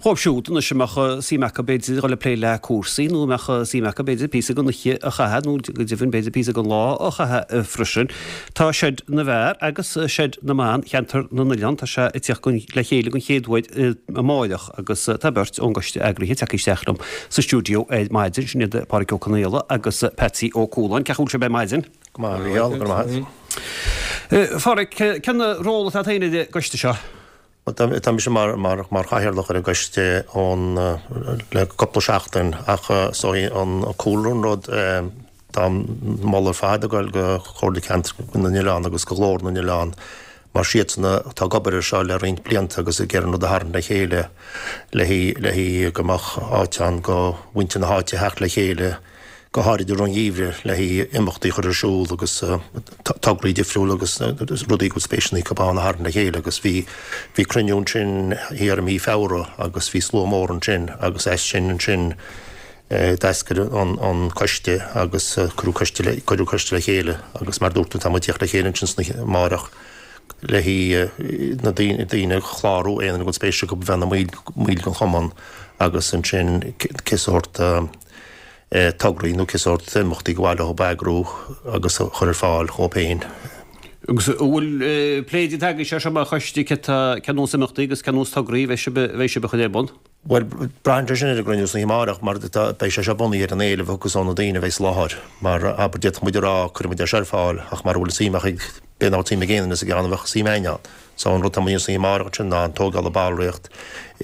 Dhóibh siúd anois a mbeadh suim acu b'fhéidir dhul ag plé le cúrsaí nó a mbeadh suim acu b'fhéidir píosa den oíche a chaitheamh nó go deimhin b'fhéidir píosa den lá a chaitheamh freisin. Tá Seid na bhFear agus Seid na mBan Cheantar na nOileán, tá sé ag tíocht le chéile den chéad uair amáireach agus tá beirt ón gcoiste eagraithe tagtha isteach liom sa stiúideo ar maidin, sin iad Páraic Ó Conaola agus Patsy Ó Cualáin. Cén chaoi a bhfuil sibh ar maidin? Go maith, a Mhícheál, go raibh maith agat. Pháraic, cén ról atá agat féin ar an gcoiste seo? Tá mise mar chathaoirleach ar an gcoiste ón le cúpla seachtain ach is dóigh an cúlra an rud tá moladh ar fad ag dul go Comhairle Ceantar na nOileán agus go Glór na nOileán mar siadsan atá ag obair ar seo le roinnt blianta agus ag iarraidh an rud a tharraingt le chéile le haghaidh go mbeadh áit ann go mhuintir na háite a theacht le chéile go háirid i rith an gheimhridh le haghaidh imeachtaí a chur ar siúl agus tograí difriúla agus rudaí go bhfuil spéiseanna acu ann a tharraingt le chéile agus bhí bhí cruinniú ansin thiar i mí Feabhra agus bhí slua mór ansin agus as sin ansin d'eascair an an coiste agus cuireadh coiste le cuireadh coiste le chéile agus mar dúirt tú tá muid ag tíocht le chéile ansin san oíche amárach le haghaidh na daoine daoine a chlárú aon duine go bhfuil spéis acu bheith ina mbaill mbaill den chumann agus ansin cé sórt tograí nó cé sórt imeachtaí gur mhaith leo a eagrú agus a chur ar fáil dhóibh féin. Agus an bhfuil plé déanta agaibhse air seo mar choiste, cé tá, cén nós imeachtaí agus cén nós tograí a bheidh sibh, a bheidh sibh a chur ar bun? Bhuel, braitheann sé sin ar an gcruinniú san oíche amárach mar tá, beidh sé seo bunaithe ar an éileamh a thiocfas ó na daoine a bheidh sa láthair. Mar, abair, d'fhéadfadh muid a rá, cuirfidh muid é seo ar fáil ach mara bhfuil suim ach ag, b'fhéidir nach bhfuil suim ag aon duine sa gceann a bheadh suim againn ann. So an rud atá muid a dhéanamh san oíche amárach ansin ná an tógáil ballraíocht,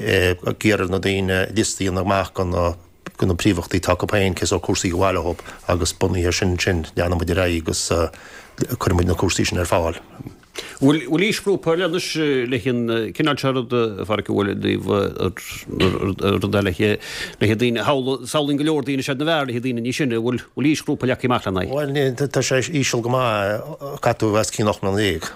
ag iarraidh ar na daoine liosta a dhéanamh amach de na, de na príomhimeachtaí atá acu féin, cé sórt cúrsaí gur mhaith leo agus bunaithe ar sin ansin leanfaidh muid ar aghaidh agus cuirfidh muid na cúrsaí sin ar fáil. Bhfuil aoisghrúpa ar leith anois le haghaidh an cineál seo rud, a Pháraic, an bhfuil i dtaobh rud eile le haghaidh daoine, samhlaím go leor daoine Seid na bhFear le haghaidh daoine níos sine, an bhfuil aoisghrúpa leagtha amach lena aghaidh? Bhuel, tá sé íseal go maith, caithfidh tú a bheith os cionn 18 mbliana.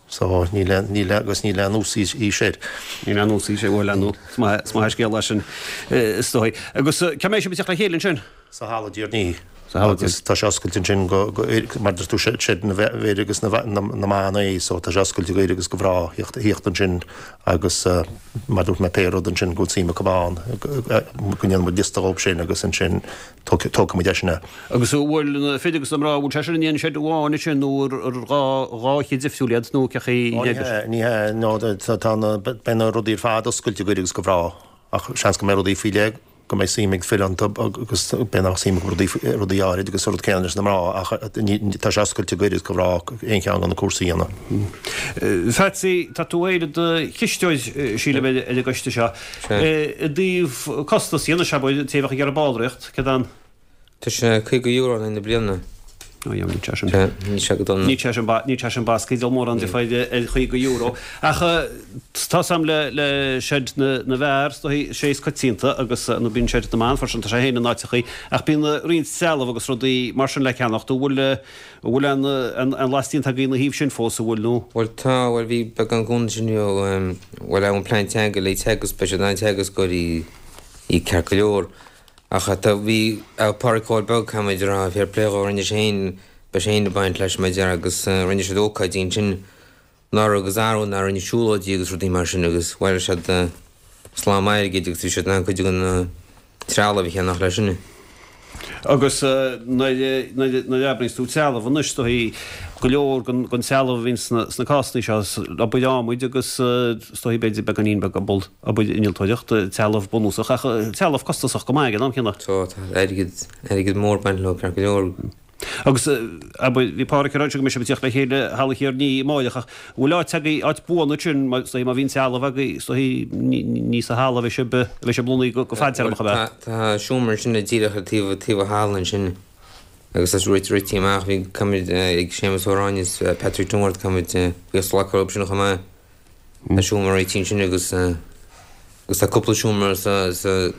So, níl aon, níl aon, agus níl aon uas-aois air. Níl aon uas-aois air, bhuel, nó is maith, is maith an scéal é sin, is dóigh. Agus cá mbeidh sibh ag teacht le chéile ansin? Sa halla Tír Ní. Sa halla Tír. Agus tá sé oscailte ansin go, go, mar deir tú, seid na bhfir agus na, na, na mban é, so tá sé oscailte go fhir agus go mhná thíocht, thíocht ansin agus mar dúirt mé pé rud ansin go bhfuil suim acu ann, go ndéanfaidh muid liosta dhóibh sin agus ansin tógfaidh muid é sin é. Agus an bhfuil na fir agus na mná, an bhfuil sé sin in aon seid amháin ansin nó ar dhá dhá sheid difriúil iad nó cé chaoi Ó ní hea, ní hea, no tá na, beidh na rudaí ar fad oscailte go fhir agus go mhná ach seans go mbeidh rudaí faoi leith, go mbeidh suim ag fir iontu agus b'fhéidir nach suim acu rudaí, rudaí áirid agus an rud céanna leis na mná ach ní, tá sé oscailte go fhir agus go mhná aon cheann de na cúrsaí a dhéanamh. Phatsy, tá tú féin i do chisteoir, sílim, ar an gcoiste seo. I dtaobh costas dhe anois, abair, an té a bheadh ag iarraidh ballraíocht, céard an. Tá sé €50 in aghaidh na bliana. Ó yeah, níl sé sin. Níl sé go dona. Níl sé sin, níl sé sin basctha, díol mórán difear ar €50. Ach tá 's a'm le, le seid na, na bhfear, is dóigh, sé is coitianta agus nó bíonn seid na mban freisin, tá sé féin in áiteachaí, ach bíonn roinnt trealamh agus rudaí mar sin le ceannacht. An bhfuil, An bhfuil aon aon lasc déanta agaibh ina thaobh sin fós, an bhfuil, nó? Bhuel tá, bhuel bhí beagán cúnamh ansin ó, bhuel ón bplean teanga le Teagasc, beidh siad in ann teagascóirí í ceart go leor. Ach tá, bhí Pádraic Chóil Beag, caithfidh muid a rá, fair play dhó, rinne sé féin, beidh sé féin ag baint leis mar a déarfá agus rinne siad ócáidí ansin anuraidh agus arú anuraidh rinne siúlóidí agus rudaí mar sin agus bhailigh siad slám airgid agus bhí siad in ann cuid den trealamh a cheannach leis sin. Agus nuair a abraíonns tú trealamh anois, is dóigh go leor den trealamh a bhíonn sna cásanna seo, obair adhmaid agus is dóigh b'fhéidir beagáinín beag obair innealtóireachta, trealamh bunúsach ach trealamh costasach go maith ag an am céanna. Tá, tá airgead, airgead mór ag baint leo ceart go leor. Agus, abair, bhí Páraic ag rá go mbeidh sibh ag tíocht le chéile i Halla Thír an Fhia amáireach ach an bhfuil áit agaibh, áit buan ansin, mar, is dóigh, má bhíonn trealamh agaibh, is dóigh, ní sa halla a bheidh sibh, a bheidh sibh lonnaithe go fadtéarmach, ab ea? Tá seomra ansin díreach ar taobh, taobh an halla ansin agus tá sé rite, rite amach, bhí, caithfimid, ag Séamus Ó Ráinne is Patrick Dungard, caithfimid buíochas a ghlacadh leo sin chomh maith. Tá seomra réitithe ansin agus, agus tá cúpla seomra sa, sa,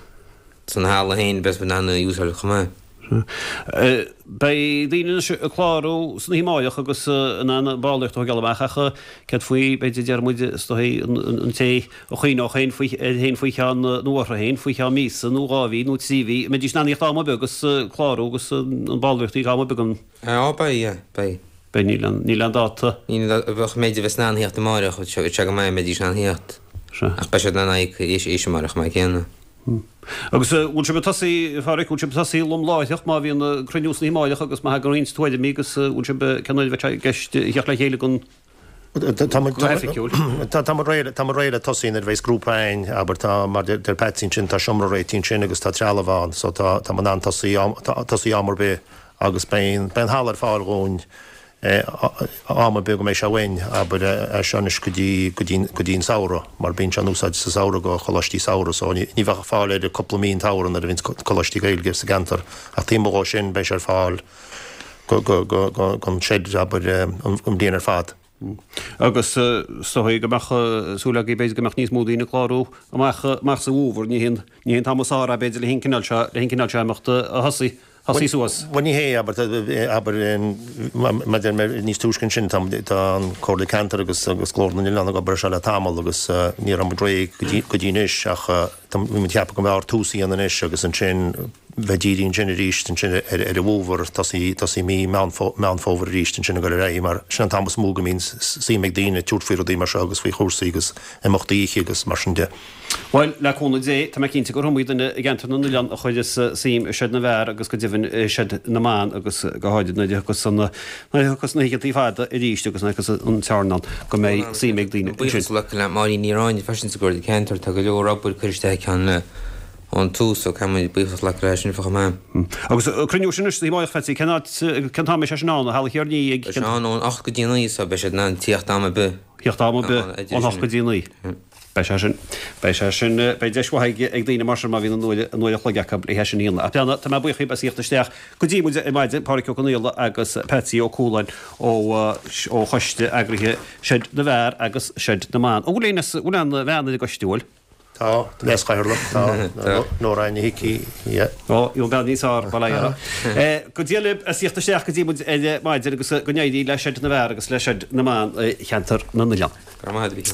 san halla féin beidh muid in ann a úsáid chomh maith. Beidh daoine anois ag clárú san oíche amáireach agus in ann ballraíocht a thógáil amach ach céard faoi, b'fhéidir, deir muid, is dóigh, an té a chuimhneodh féin faoi, air féin faoi cheann, nó orthu féin, faoi cheann míosa nó 2 mhí nó 3 mhí, an mbeidís in ann a thíocht am ar bith agus clárú agus an ballraíocht a íoc am ar bith an. Á, beidh, yeah, beidh. Beidh, níl aon, níl aon dáta. Níl, bheadh, b'fhéidir, bheas in ann a thíocht amáireach, bheadh sé go maith, mbeidís in ann a thíocht. Ach beidh siad in ann íoc é sin amárach chomh maith céanna. Agus bhfuil sibh ag tosaí, a Pháraic, bhfuil sibh ag tosaí lom láithreach má bhíonn cruinniú san oíche amáireach agus má thagann roinnt tuairimí agus bhfuil sibh, cén uair a bheidh sé i gceist a theacht le chéile go hoifigiúil? Tá muid réidh, tá muid réidh le tosaí nuair a bheas grúpa againn, abair, tá, mar deir Patsy ansin, tá seomra réitithe ansin agus tá trealamh ann so tá, tá muid in ann tosaí, tosaí am ar bith agus beidh, beidh an halla ar fáil dhúinn am ar bith go mbeidh sé uainn, abair, as seo anois go dtí, go dtí, go dtí an samhradh, mar bíonn sé in úsáid sa samhradh go choláistí samhraidh, so ní, ní bheadh fáil air cúpla mí an tsamhradh nuair a bhíonns coláistí Gaeilge sa gceantar, ach taobh amuigh dhó sin beidh sé ar fáil go, go, go, go, gon seid, abair, an, an bhliain ar fad. Agus is dóigh go mbeadh súil agaibh b'fhéidir go mbeadh níos mó daoine ag clárú amach, amach sa bhfómhar, ní hé an, ní hé an t-am is fearr é b'fhéidir le haghaidh an cineál seo, le haghaidh an cineál seo imeachta a thosaigh. Thosaigh suas. Bhuel ní hé, abair, abair, mar deir mé níos túisce ansin, tá an Comhairle Ceantair agus agus Glór na nOileán ag obair ar seo le tamall agus ní raibh muid réidh go dtí go dtí anois ach tá bhí muid ag ceapadh go mb'fhearr tús a dhéanamh anois agus ansin bheith dírithe ansin arís ansin ar ar an bhfómhar, tosaí tosaí mí Meán Meán Fómhair arís ansin ag dul ar aghaidh mar sin an t-am is mó go mbíonn suim ag daoine tabhairt faoi rudaí mar seo agus faoi chúrsaí agus imeachtaí oíche agus mar sin de. Bhuel, le cúnamh Dé, tá mé cinnte gur iomaí duine i gceantar na nOileán a chuireas suim i Seid na bhFear agus go deimhin i Seid na mBan agus go háirid nuair a thiocfas an, nuair a thiocfas na hoícheantaí fada arís agus nuair a thiocfas an t-airneán go mbeidh suim ag daoine ansin. Buíochas le le Máirín Ní Ráinne freisin sa gComhairle Ceantair, tá go leor obair curtha isteach aici ann ón tús so caithfidh muid buíochas a ghlacadh léi sin chomh maith. Agus an cruinniú sin anois san oíche amáireach, Phatsy, cén áit, cén t-am a mbeidh sé sin ann, i Halla Chiarnaí ag. Beidh sé ann ón 8 go dtí 9 so beidh siad in ann tíocht am ar bith. Tíocht am ar bith ón 8 go dtí 9. Beidh sé sin, beidh sé sin, beidh deis mhaith ag daoine mar sin má bhíonn an uair, an uair a chloig acu le hé sin a dhéanamh. Ach beanna, tá mé buíoch díbh as a thíocht isteach go dtí muid ar maidin, Pádhraic Ó Conaola agus Patsy Ó Cualáin ó, ó choiste eagraithe Seid na bhFear agus Seid na mBan. An bhfuil aon, an bhfuil aon bhean ar an gcoiste, an bhfuil? Tá, leas-chathaoirleach, tá, Nóra Áine Hickey, yeah. Ó, bhí an bean níos fearr, bail ó Dhia uirthi. Go dté libh as a thíocht isteach go dtí muid ar maidin agus go n-éirí le Seid na bhFear agus le Seid na mBan i cheantar na nOileán. Go raibh maith agat, a Mhícheáil.